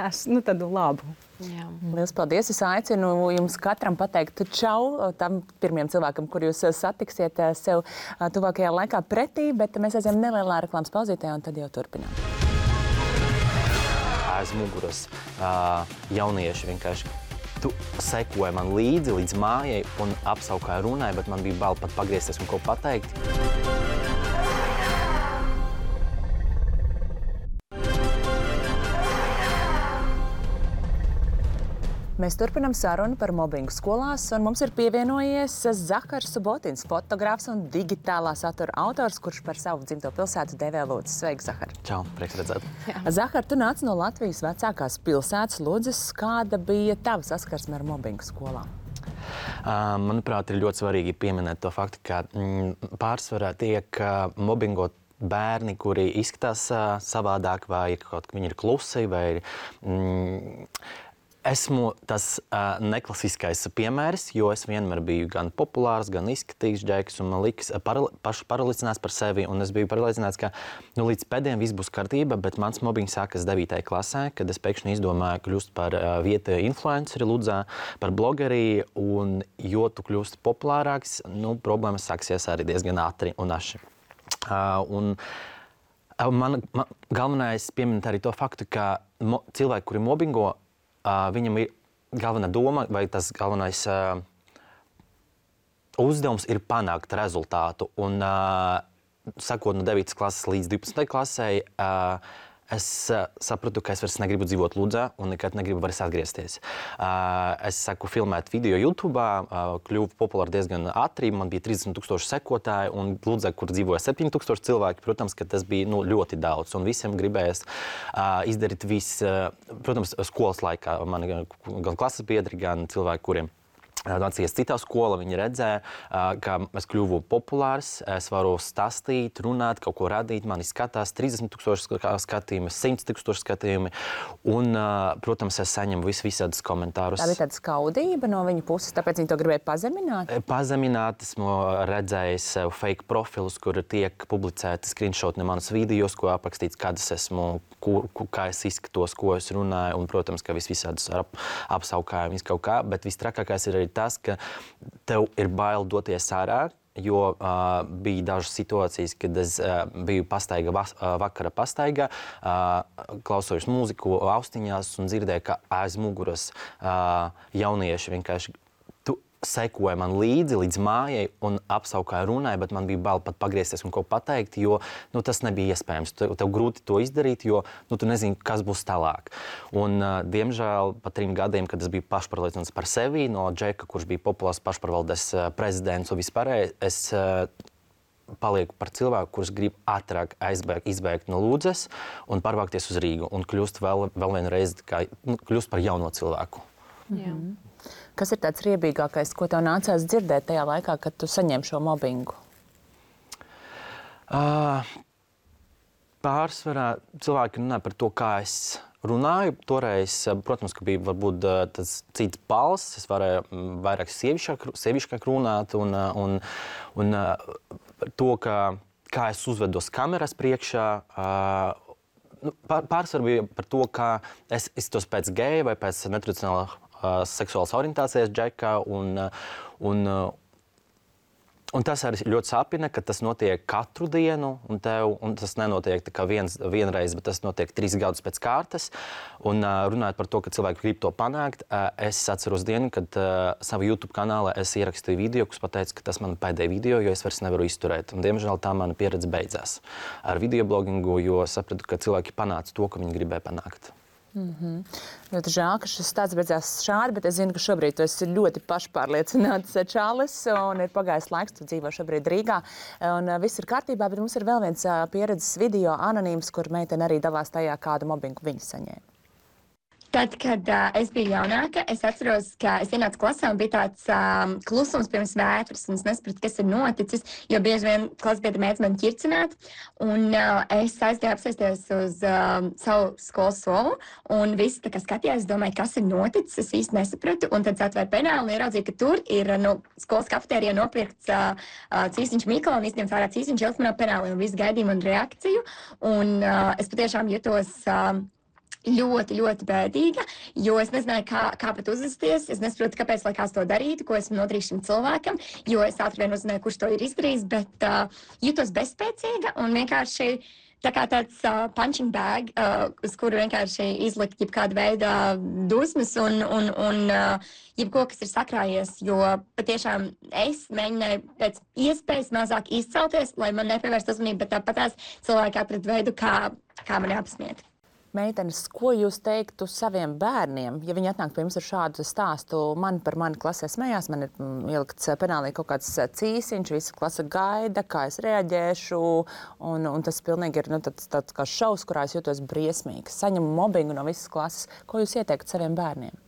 es, nu, tādu labu. Jā. Lielas paldies! Es aicinu jums katram pateikt čau tam pirmajam cilvēkam, kur jūs satiksiet sev tuvākajā laikā pretī, bet mēs aizējām nelielā reklāmas pauzītē un tad jau turpinām. Aiz muguras jaunieši vienkārši tu sekoji man līdzi līdz mājai un apsaukāji runāji, bet man bija bail pat pagriezties un ko pateikt. Mēs turpinām sarunu par mobbingu skolās, un mums ir pievienojies Zahars Subotins, fotogrāfs un digitālā satura autors, kurš par savu dzimto pilsētu dēvē Lūdzes. Sveiki, Zahar! Čau, prieks redzēt! Zahar, tu nāc no Latvijas vecākās pilsētas Lūdzes. Kāda bija tava saskarsme ar mobbingu skolā? Uh, manuprāt, ir ļoti svarīgi pieminēt to faktu, ka mm, pārsvarā tiek uh, mobbingot bērni, kuri izskatās uh, savādāk, vai kaut kā viņi ir klusi, vai ir... Mm, Esmu tas uh, neklasiskais piemērs, jo es vienmēr biju gan populārs, gan izskatīgs džeks, un man likas paral pašu paralizināts par sevi, un es biju paralizināts, ka nu, līdz pēdējiem viss būs kārtība, bet mans mobbings sākas devītajā klasē, kad es pēkšņi izdomāju kļūst par uh, vietēju influenceri Ludzā, par blogeri, un jo tu kļūst populārāks, nu, problēmas sāksies arī diezgan ātri un aši. Uh, un man, man galvenais pieminēt arī to faktu, ka mo cilvēki, kuri mobbingo, Uh, viņam ir galvenā doma, vai tas galvenais uh, uzdevums ir panākt rezultātu. Un, uh, sakot no devītās klases līdz divpadsmitajai klasei, uh, es uh, sapratu, ka es vairs negribu dzīvot Ludzā un nekad negribu vairs atgriezties. Uh, es saku filmēt video YouTube, uh, kļuvu populāri diezgan ātri, man bija trīsdesmit tūkstoši sekotāji, un Ludzā, kur dzīvoja septiņi tūkstoši cilvēki, protams, ka tas bija nu, ļoti daudz, un visiem gribējās uh, izdarīt visu, uh, protams, skolas laikā. Man gan, gan klases biedri, gan cilvēki, kuriem nācies citā skola, viņi redzēja, ka es kļuvu populārs, es varu stāstīt, runāt, kaut ko radīt, mani skatās trīsdesmit tūkstoši skatījumi, simt tūkstoši skatījumi, un, protams, es saņemu vis visādus komentārus. Tā bija tāda skaudība no viņa puses, tāpēc viņi to gribēja pazemināt? Pazemināt, esmu redzējis fake profilus, kur tiek publicēti screenshot no manas videos, ko aprakstīts, kādas esmu, kur, kā es izskatos, ko es runāju, un, protams, ka vis visādus ap, apsaukājumus kaut kā, bet vistrakākais ir arī tas, ka tev ir bail doties ārā, jo uh, bija dažas situācijas, kad es uh, biju pastaiga, vas, uh, vakara pastaigā, uh, klausojos mūziku austiņās un dzirdēju, ka aiz muguras uh, jaunieši vienkārši sekoja man līdzi līdz mājai un apsaukāja runāja, bet man bija bail pat pagriezties un ko pateikt, jo nu, tas nebija iespējams. Tev, tev grūti to izdarīt, jo nu, tu nezini, kas būs tālāk. Un, uh, diemžēl, pa trim gadiem, kad es biju pašpārliecināts par sevi, no Džeka, kurš bija populārs pašpārvaldes uh, prezidents un vispārēj, es uh, palieku par cilvēku, kurš grib ātrāk aizbēgt, izbēgt no Lūdzes un pārvākties uz Rīgu un kļūst vēl, vēl vienreiz, kā, nu, kļūst par jauno cilvēku. Jā. Kas ir tāds riebīgākais, ko tev nācās dzirdēt tajā laikā, kad tu saņem šo mobbingu? Uh, pārsvarā cilvēki runā par to, kā es runāju. Toreiz, protams, ka bija varbūt tas cits balss, es varēju vairāk sievišķāk, sievišķāk runāt un, un, un to, ka, kā es uzvedos kameras priekšā. Nu, pārsvarā bija par to, kā es iztos pēc geja vai pēc netradicionāla uh, seksuālas orientācijas džeka un, un, un tas arī ļoti sāpina, ka tas notiek katru dienu, un, tev, un tas nenotiek tā kā viens, vienreiz, bet tas notiek trīs gadus pēc kārtas. Un uh, runājot par to, ka cilvēki grib to panākt, uh, es atceros dienu, kad uh, savu YouTube kanālā es ierakstīju video, kas pateica, ka tas man pēdējais video, jo es vairs nevaru izturēt. Un, diemžēl tā mana pieredze beidzās ar videoblogingu, jo sapratu, ka cilvēki panāca to, ko viņi gribēja panākt. Mm-hmm. Ļoti žēl, ka šis stāsts beidzās šādi, bet es zinu, ka šobrīd tu esi ļoti pašpārliecināts čalis un ir pagājis laiks, tu dzīvo šobrīd Rīgā un viss ir kārtībā, bet mums ir vēl viens pieredzes video anonīms, kur meitene arī dalās tajā, kādu mobbingu viņa saņēma. Tad, kad uh, es biju jaunāka, es atceros, ka es ienācu klasē un bija tāds um, klusums pirms vētras, un es nesapratu, kas ir noticis, jo bieži vien klasbiedri mēdz mani ķircināt, un uh, es aizgāju apsēsties uz um, savu skolas solu, un visi tā kā skatījās, es domāju, kas ir noticis, es īsti nesapratu, un tad atvēru penālu un ieraudzīju, ka tur ir no skolas kafetērijā nopirkts uh, uh, cīsiņš Mikola, un izņemts ārā cīsiņš ilgs manā penālī, un visi gaidīja manu reakciju, un uh, es patiešām jutos uh, ļoti, ļoti bēdīga, jo es nezināju, kā, kā pat uzvesties. Es nesaprotu, kāpēc lai kāds to darītu, ko esmu nodarījis šim cilvēkam, jo es ātri vien uzzināju, kurš to ir izdarījis, bet uh, jutos bezspēcīga un vienkārši tā kā tāds uh, punching bag, uh, uz kuru vienkārši izlikt jebkāda veida dusmas un, un, un uh, jebko, kas ir sakrājies, jo patiešām es mēģināju pēc iespējas mazāk izcelties, lai man nepievērst uzmanību, bet tāpat tās cilvēki atrada veidu, kā, kā mani apsmiet. Meitenes, ko jūs teiktu saviem bērniem, ja viņi atnāk pie jums ar šādu stāstu? Man par mani klasē smējās, man ir ielikts penālī kaut kāds cīsiņš, visa klase gaida, kā es reaģēšu, un, un tas pilnīgi ir nu, tāds, tāds kā šaus, kurā es jūtos briesmīgi. Saņemu mobbingu no visas klases. Ko jūs ieteiktu saviem bērniem?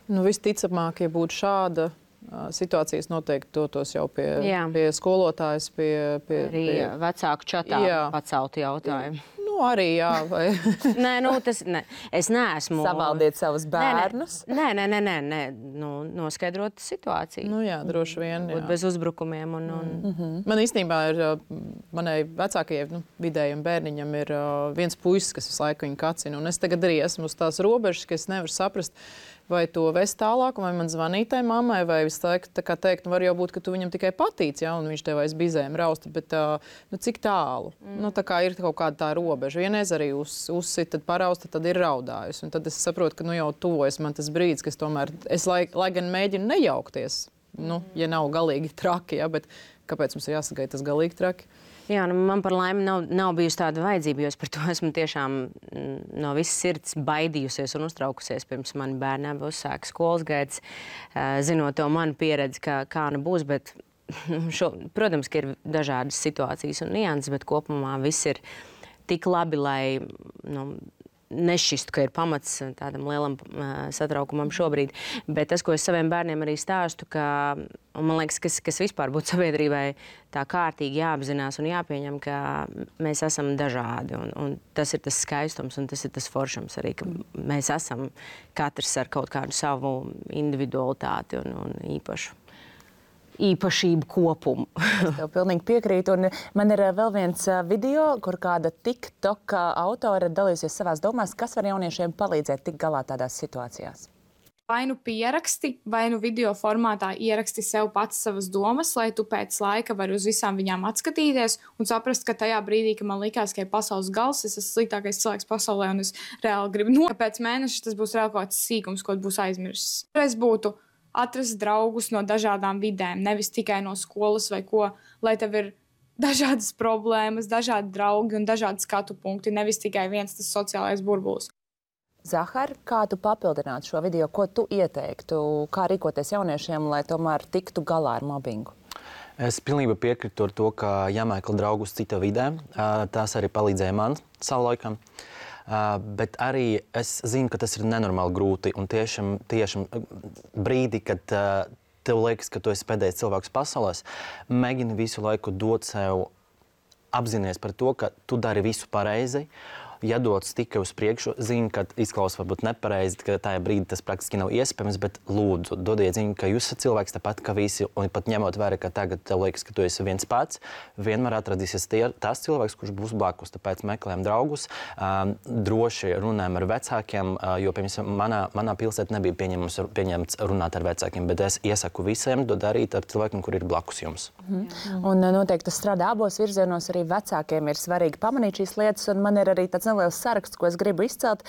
Nu, visticamāk, ja būtu šāda uh, situācijas, noteikti dotos jau pie, Jā. pie skolotājas, pie... pie, Arī pie... vecāku čatā Jā. paceltu jautājumu. Nu, arī, jā. Vai... nē, nu, tas, ne. Es neesmu... Savaldiet savus bērnus? Nē, nē, nē, nē, nē. Nu, noskaidrot situāciju. Nu, jā, droši vien, jā. Būt bez uzbrukumiem un... un... Mm-hmm. Man īstenībā ir, manai vecākajai, nu, vidējam bērniņam ir uh, viens puisis, kas visu laiku viņu kacina, un es tagad arī esmu uz tās robežas, ka es nevaru saprast, vai to vest tālāk, vai man zvanīt tai mammai, vai visu laiku tā kā teikt, nu, var jau būt, ka tu viņam tikai patīc, ja, un viņš tev aiz bizēm rausta, bet uh, nu, cik tālu? Mm. Nu, tā kā ir kaut kāda tā robeža. Vienreiz arī uz, uzsit, tad parausta, tad ir raudājusi. Un tad es saprotu, ka nu, jau tuvojas man tas brīdis, kas tomēr, es lai, lai gan mēģinu nejaukties, nu, ja nav galīgi traki, ja, bet kāpēc mums ir jāsagaida tas galīgi traki? Jā, nu, man par laimi nav, nav bijusi tāda vajadzība, jo es par to esmu tiešām no visas sirds baidījusies un uztraukusies pirms mani bērni abi uzsāka skolas gaitas, zinot to manu pieredzi, kā, kā nu būs, bet, šo, protams, ka ir dažādas situācijas un nianses, bet kopumā viss ir tik labi, lai nu, nešķistu, ka ir pamats tādam lielam uh, satraukumam šobrīd. Bet tas, ko es saviem bērniem arī stāstu, ka, un man liekas, kas, kas vispār būtu sabiedrībai tā kārtīgi jāapzinās un jāpieņem, ka mēs esam dažādi. Un, un tas ir tas skaistums un tas ir tas foršums arī, ka mēs esam katrs ar kaut kādu savu individualitāti un, un īpašu. īpašību kopumu. Es tev pilnīgi piekrītu. Un man ir vēl viens video, kur kāda TikTok autore dalījusies savās domās, kas var jauniešiem palīdzēt tikt galā tādās situācijās. Vai nu pieraksti, vai nu video formātā ieraksti sev pats savas domas, lai tu pēc laika vari uz visām viņām atskatīties un saprast, ka tajā brīdī, kad man likās, ka ir pasaules gals, es esmu sliktākais cilvēks pasaulē un es reāli gribu no, ka pēc mēneša tas būs reāli kaut kāds sīkums, ko būs aizmirsis. Es būtu atrast draugus no dažādām vidēm, nevis tikai no skolas vai ko, lai tev ir dažādas problēmas, dažādi draugi un dažādi skatu punkti, nevis tikai viens tas sociālais burbulis. Zahar, kā tu papildinātu šo video, ko tu ieteiktu, kā rīkoties jauniešiem, lai tomēr tiktu galā ar mobbingu? Es pilnībā piekrītu ar to, ka jāmeklē draugus cita vidē. Tās arī palīdzēja man savulaikam. Uh, bet arī es zinu, ka tas ir nenormāli grūti un tiešām, tiešām brīdi, kad uh, tev liekas, ka tu esi pēdējais cilvēks pasaulēs, mēģini visu laiku dot sev apzinies par to, ka tu dari visu pareizi. Ja dodas tikai uz priekšu, zinu, ka izklausās varbūt nepareizi, ka tajā brīdī tas praktiski nav iespējams, bet lūdzu, dodiet ziņu, ka jūs esat cilvēks tāpat kā visi, un pat ņemot vērā, ka tagad tev liekas, ka tu esi viens pats, vienmēr atradīsies tie, tas cilvēks, kurš būs blakus, tāpēc meklējam draugus, um, droši runājam ar vecākiem, uh, jo, piemēram, manā, manā pilsētā nebija pieņemts, pieņemts runāt ar vecākiem, bet es iesaku visiem to darīt ar cilvēkiem, kur ir blakus jums. Mhm. Un noteikti tas strādā abos virzienos, arī vecākiem ir svarīgi pamanīt šīs lietas, un man ir arī tāds neliels saraksts, ko es gribu izcelt,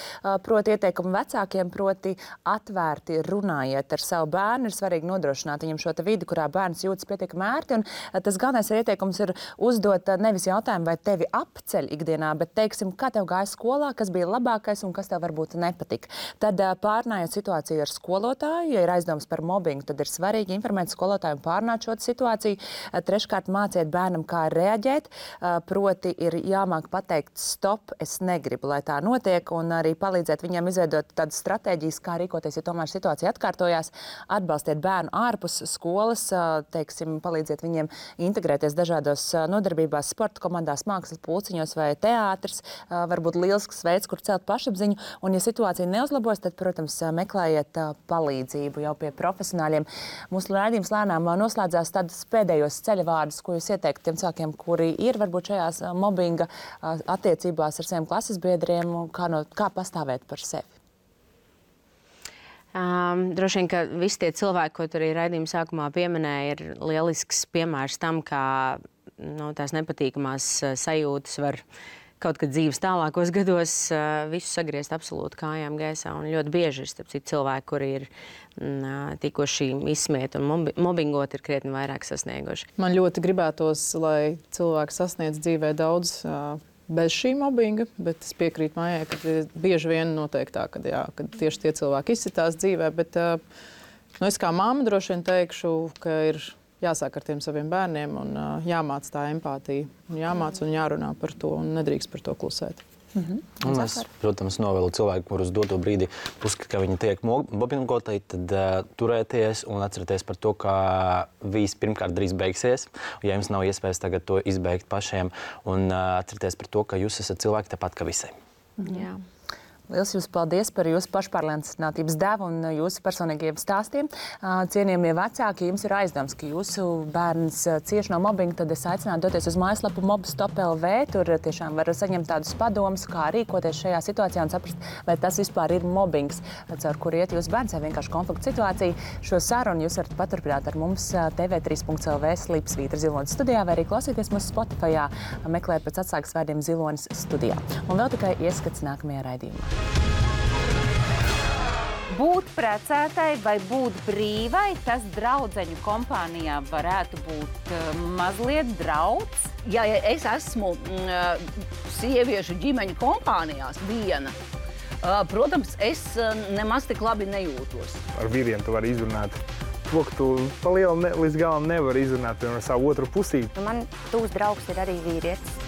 proti ieteikumu vecākiem, proti atvērti runājiet ar savu bērnu. Ir svarīgi nodrošināt viņam šo vidi, kurā bērns jūtas pietiekami ērti. Un tas galvenais ieteikums ir uzdot nevis jautājumu, vai tevi apceļ ikdienā, bet teiksim, kā tev gāja skolā, kas bija labākais un kas tev varbūt nepatika. Tad pārnājot situāciju ar skolotāju, ja ir aizdomas par mobbingu, tad ir svarīgi informēt skolotāju un pārnāt šo situāciju. Treškārt, māciet bērnam, kā reaģēt, proti ir jāmāk pateikt stop, es negribu, lai tā notiek, un arī palīdzēt viņiem izveidot tādas stratēģijas, kā rīkoties, ja tomēr situācija atkārtojās. Atbalstiet bērnu ārpus skolas, teiksim, palīdziet viņiem integrēties dažādos nodarbībās, sporta komandās, mākslas pulciņos vai teātris. Varbūt lielisks veids, kur celt pašapziņu, un ja situācija neuzlabojas, tad, protams, meklējiet palīdzību jau pie profesionāļiem. Mūsu raidījums lēnām noslēdzās tādus pēdējos ceļavārdus, ko jūs ieteiktu tiem cilvēkiem, kuri ir varbūt šajās mobbinga attiecībās ar saviem klases biedriem, kā, no, kā pastāvēt par sevi? Um, droši vien, ka visi tie cilvēki, ko tur arī raidījuma sākumā pieminēja, ir lielisks piemērs tam, kā nu, tās nepatīkamās sajūtas var kaut kad dzīves tālākos gados uh, visu sagriezt absolūti kājām gaisā. Un ļoti bieži ir starp citu cilvēki, kuri ir uh, tikuši izsmieti un mobi mobbingot, ir krietni vairāk sasnieguši. Man ļoti gribētos, lai cilvēki sasniedz dzīvē daudz uh, bez šī mobbinga, bet es piekrītu Maijai, ka bieži vien notiek tā, ka, jā, ka tieši tie cilvēki izsitās dzīvē, bet uh, nu, es kā mamma droši vien teikšu, ka ir jāsāk ar tiem saviem bērniem un uh, jāmāc tā empātija, un jāmāc un jārunā par to un nedrīkst par to klusēt. Mm-hmm. Un es, protams, novēlu cilvēku, kurus doto brīdi uzskata, ka viņi tiek mobbingoti, tad uh, turēties un atcerieties par to, ka viss pirmkārt drīz beigsies. Ja jums nav iespējas tagad to izbeigt pašiem, un uh, atcerieties par to, ka jūs esat cilvēki tāpat kā visiem. Mm-hmm. Jā. Liels jums paldies par jūsu pašpārliecinātības devu un jūsu personīgajiem stāstiem. Cienījamie vecāki, jums ir aizdoms, ka jūsu bērns cieš no mobbinga, tad es aicinātu doties uz mājaslapu mob stop L V. Tur tiešām var saņemt tādus padomus, kā rīkoties šajā situācijā un saprast, vai tas vispār ir mobbings, caur kur iet jūsu bērns vai vienkārši konflikta situācija. Šo sarunu jūs varat paturpināt ar mums T V trīs punkts L V Slīpsvītra Zilonis studijā vai arī klausīties mūsu Spotifyā, meklēt pēc atslēgas vārdiem Zilonis studijā. Un vēl tikai ieskats nākamajā raidījumā. Būt precētai vai būt brīvai, tas draudzeņu kompānijā varētu būt uh, mazliet drauds. Ja es esmu uh, sieviešu ģimeņu kompānijās viena, uh, protams, es uh, nemaz tik labi nejūtos. Ar vīriem tu vari izrunāt to, ka tu pa lielu ne, līdz galam nevari izrunāt ar savu otru pusīti. Man tūs draugs ir arī vīrietis.